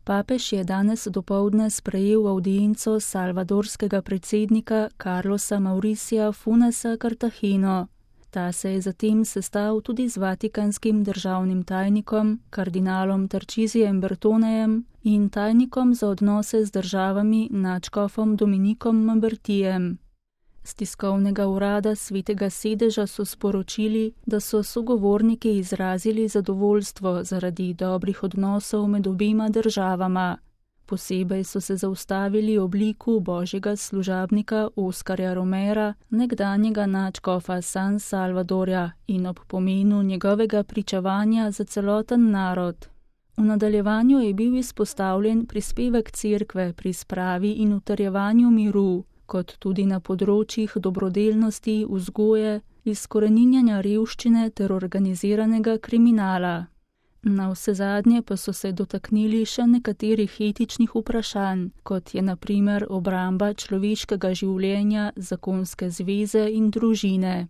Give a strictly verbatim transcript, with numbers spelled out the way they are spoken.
Papež je danes dopoldne sprejel avdienco salvadorskega predsednika Carlosa Mauricia Funesa Cartageno. Ta se je zatem sestal tudi z vatikanskim državnim tajnikom, kardinalom Tarcisijem Bertonejem in tajnikom za odnose z državami nadškofom Dominikom Mambertijem. Z tiskovnega urada Svetega sedeža so sporočili, da so sogovorniki izrazili zadovoljstvo zaradi dobrih odnosov med obema državama. Posebej so se zaustavili ob liku božjega služabnika Oskarja Romera, nekdanjega nadškofa San Salvadorja, in ob pomenu njegovega pričevanja za celoten narod. V nadaljevanju je bil izpostavljen prispevek cerkve pri spravi in utrjevanju miru, kot tudi na področjih dobrodelnosti, vzgoje, izkoreninjanja revščine ter organiziranega kriminala. Navsezadnje pa so se dotaknili še nekaterih etičnih vprašanj, kot je na primer obramba človeškega življenja, zakonske zveze in družine.